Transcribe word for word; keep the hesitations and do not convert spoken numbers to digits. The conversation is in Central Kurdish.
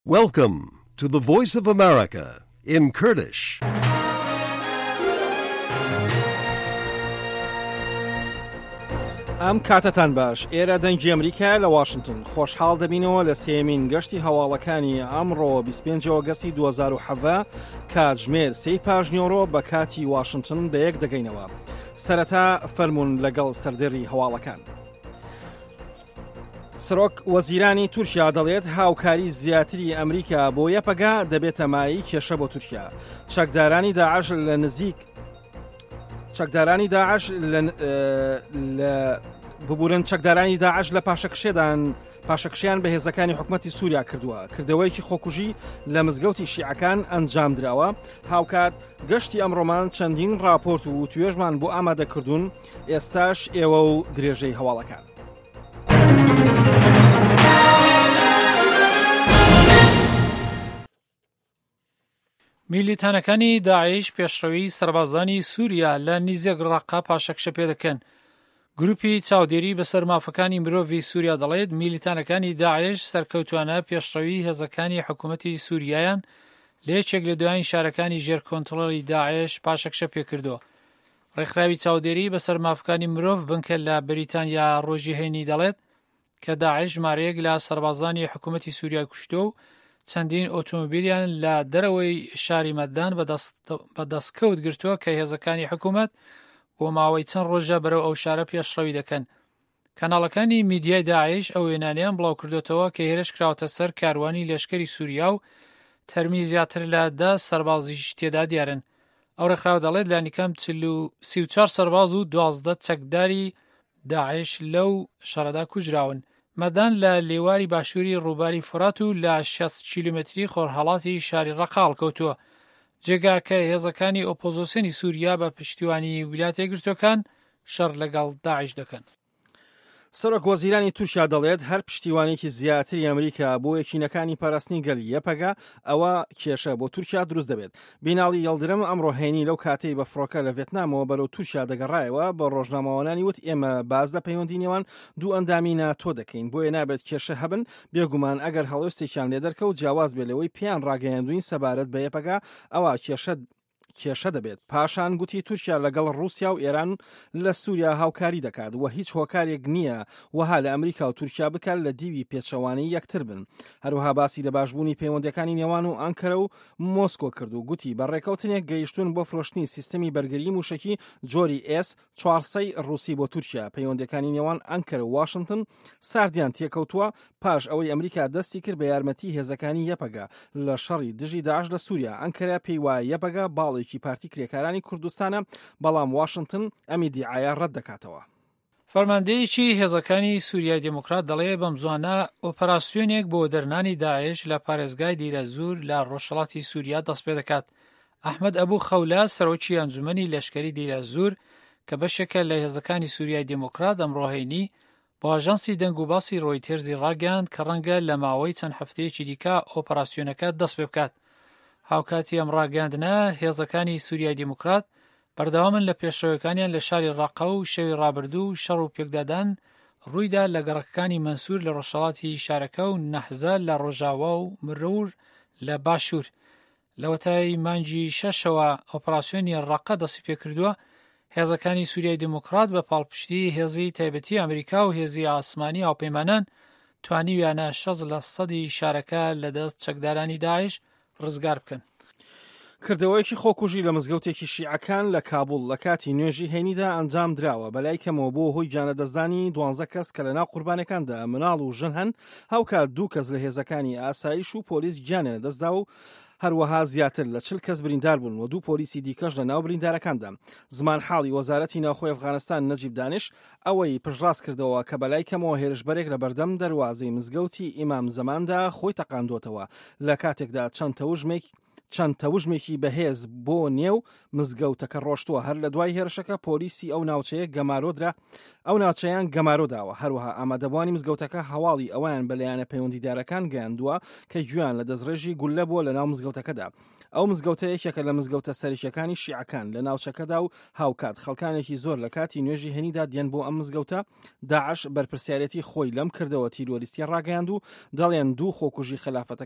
Welcome to the Voice of America in Kurdish. ئەم کاتەتان باش، ئێرە دەنگی ئەمریکا لە واشنگتن. خۆشحاڵ دەبینەوە لە سێمین گەشتی هەواڵەکانی ئەمڕۆ بیست و پێنج ئۆگەستی دوو هەزار و حەڤدە کاتژمێر سێی پاژنیۆڕۆ بە کاتی واشنگتن بە یەک دەگەینەوە. سەرەتا فەرمونون لەگەڵ سەردێڕی هەواڵەکان. سەرۆک وەزیرانی تورکیا دەڵێت هاوکاری زیاتری ئەمریکا بۆ یەپەگە دەبێتە مایەی کێشە بۆ تورکیا. چەکدارانی داعش لە نزیک چەکدارانی داعش لە ببورن چەکدارانی داعش لە پاشەکشێدان پاشەکشیان بە هێزەکانی حکومەتی سووریا کردووە. کردەوەیەکی خۆکوژی لە مزگەوتی شیعەکان ئەنجام دراوە. هاوکات گەشتی ئەمڕۆمان چەندین راپۆرت و توێژمان بۆ ئامادەکردوون. ئێستاش ئێوە و درێژەی هەواڵەکان. میلیتانەکانی داعش پێشڕەوی سەربازانی سووریا لە نیزێک ڕەقە پاشەکشە پێ دەکەن. گروپی چاودێری بەسەر مافەکانی مرۆڤی سووریا دەڵێت میلیتانەکانی داعش سەرکەوتوانە پێشڕەوی هێزەکانی حکوومەتی سووریایان لە یەکێک لە دوایین شارەکانی ژێر کۆنترۆڵی داعش پاشەکشە پێکردووە. ڕێکخراوی چاودێری بەسەر مافەکانی مرۆڤ بنکە لە بەریتانیا ڕۆژی هەینی دەڵێت کە داعش ژمارەیەک لە سەربازانی حکوومەتی سووریا کوشتووە و چەندین ئۆتۆمۆبیلیان لە دەرەوەی شاری مەدان بە دەستکەوت گرتووە کە هێزەکانی حکوومەت بۆ ماوەی چەند ڕۆژە بەرەو ئەو شارە پێشڕەوی دەکەن. کەناڵەکانی میدیای داعش ئەو وێنانەیان بڵاو کردوێتەوە کە هێرش کراوەتە سەر کاروانی لەشکری سووریا و تەرمی زیاتر لە دە سەربازیش تێدا دیارن. ئەو ڕێکخراوە دەڵێت لانیکەم سی و چوار سەرباز و دوازدە چەکداری داعش لەو شەڕەدا کوژراون. مەدان لە لێواری باشووری ڕووباری فورات و لە شەست کیلومتری خۆرهەڵاتی شاری ڕەقە هەڵکەوتووە. جێگاکە هێزەکانی ئۆپۆزیسیۆنی سووریا بە پشتیوانی ویلایەتە یەکگرتووەکان شەڕ لەگەڵ داعش دەکەن. سەرۆک وەزیرانی تورکیا دەڵێت هەر پشتیوانێکی زیاتری ئەمریکا بۆ یەکینەکانی پاراستنی گەل یەپەگە ئەوە کێشە بۆ تورکیا دروست دەبێت. بیناڵی یەڵدرم ئەمڕۆ هەینی لەو کاتەی بە فڕۆکە لە ڤێتنامەوە بەرەو تورکیا دەگەڕایەوە بە ڕۆژنامەوانانی وت ئێمە باز لە پەیوەندی نێوان دوو ئەندامی ناتۆ دەکەین، بۆیە نابێت کێشە هەبن. بێگومان ئەگەر هەڵوێستێکیان لێ دەرکەوت جیاواز بێ لەوەی پێیان ڕاگەیاندوین سەبارەت بە یەپەگە ئەوە کێشە کێشە دەبێت. پاشان گوتی تورکیا لەگەڵ رووسیا و ئێران لە سووریا هاوکاری دەکات و هیچ هۆکارێک نییە وەها لە ئەمریکا و تورکیا بکات لە دیوی پێچەوانەی یەکتر بن. هەروەها باسی لە باشبوونی پەیوەندەکانی نێوان و ئەنکەرە و مۆسکۆ کرد و گوتی بە ڕێکەوتنێک گەیشتون بۆ فرۆشتنی سیستەمی بەرگری موشەکی جۆری ئێس چوارسەی ڕووسی بۆ تورکیا. پەیوەندەکانی نێوان ئەنکەرە و واشنگتن ساردیان تێکەوتووە پاش ئەوەی ئەمریکا دەستی کرد بە یارمەتی هێزەکانی یەپەگە لە شەڕی دژی داعش لە سووریا. ئەنکەرە پێی وایە یەپەگە باڵێکی پارتی کرێکارانی کوردستانە، بەڵام واشنگتن ئەم ئیدیعایە ڕەت دەکاتەوە. فەرماندەیەکی هێزەکانی سووریای دێموکرات دەڵێ بەمزوانە ئۆپەراسیۆنێک بۆ دەرنانی داعش لە پارێزگای دیرەزور لە ڕۆژهەڵاتی سووریا دەست پێ دەکات. ئەحمەد ئەبوو خەولە سەرۆکی ئەنجومەنی لەشکری دیرەزور کە بەشێکە لە هێزەکانی سووریای دێموکرات ئەمڕۆ هەینی بۆ ئاژانسی دەنگ و باسی ڕۆیتێرزی ڕاگەیاند کە ڕەنگە لە ماوەی چەند هەفتەیەکی دیکە ئۆپەراسیۆنەکە دەست پێ بکات. هاوکاتی ئەم ڕاگەیاندنە هێزەکانی سووریای دێموکرات بەردەوامن لە پێشڕەوەکانیان لە شاری ڕەقە و شەوی ڕابردوو و شەڕ و پێکدادان ڕوویدا لە گەڕەکەکانی مەنسوور لە ڕۆژهەڵاتی شارەکە و نەحزە لە ڕۆژاوا و مرور لە باشوور. لەوەتای مانگی شەشەوە ئۆپەراسیۆنی ڕەقە دەستی پێکردووە. هێزەکانی سووریای دێموکرات بە پاڵپشتی هێزی تایبەتی ئەمریکا و هێزی ئاسمانی هاوپەیمانان توانیویانە شەست لە سەدی شارەکە لەدەست چەکدارانی داعش ڕزگار بکەن. کردەوەیەکی خۆکوژی لە مزگەوتێکی شیعەکان لە کابوڵ لە کاتی نوێژی هەینیدا ئەنجام دراوە. بەلای کەمەوە بۆ هۆی گیانلەدەستدانی دوانزە کەس کە لەناو قوربانەکاندا مناڵ و ژن هەن، هاوکات دوو کەس لە هێزەکانی ئاسایش و پۆلیس گیانیان لەدەستدا و هەروەها زیاتر لە چل کەس بریندار بوون و دوو پۆلیسی دیکەش لە ناو بریندارەکاندا. زمانحاڵی وەزارەتی ناوخۆی ئەفغانستان نەجیب دانش ئەوەی پشتڕاست کردەوە کە بەلای کەمەوە هێرشبەرێک لە بەردەم دەروازەی مزگەوتی ئیمام زەماندا خۆی تەقاندۆتەوە لە کاتێکدا چەند تەوژمێک چەند تەوژمێکی بەهێز بۆ نێو مزگەوتەکە ڕۆشتووە. هەر لە دوای هێرشەکە پۆلیسی ئەو ناوچەیە گەمارۆدرا ئەو ناوچەیان گەمارۆداوە. هەروەها ئامادەبووانی مزگەوتەکە هەواڵی ئەویان بە لایەنە پەیوەندیدارەکان گەیاندووە کە گوێیان لە دەستڕێژی گولە بووە لە ناو مزگەوتەکەدا. ئەو مزگەوتە یەکێکە لە مزگەوتە سەرەکیەکانی شیعەکان لە ناوچەکەدا و هاوکات خەڵکانێکی زۆر لە کاتی نوێژی هەینیدا دێن بۆ ئەم مزگەوتە. داعش بەرپرسیارەتی خۆی لەم کردەوە تیرۆریستیە ڕاگەیاند و دەڵێن دوو خۆکوژی خەلافەتەکە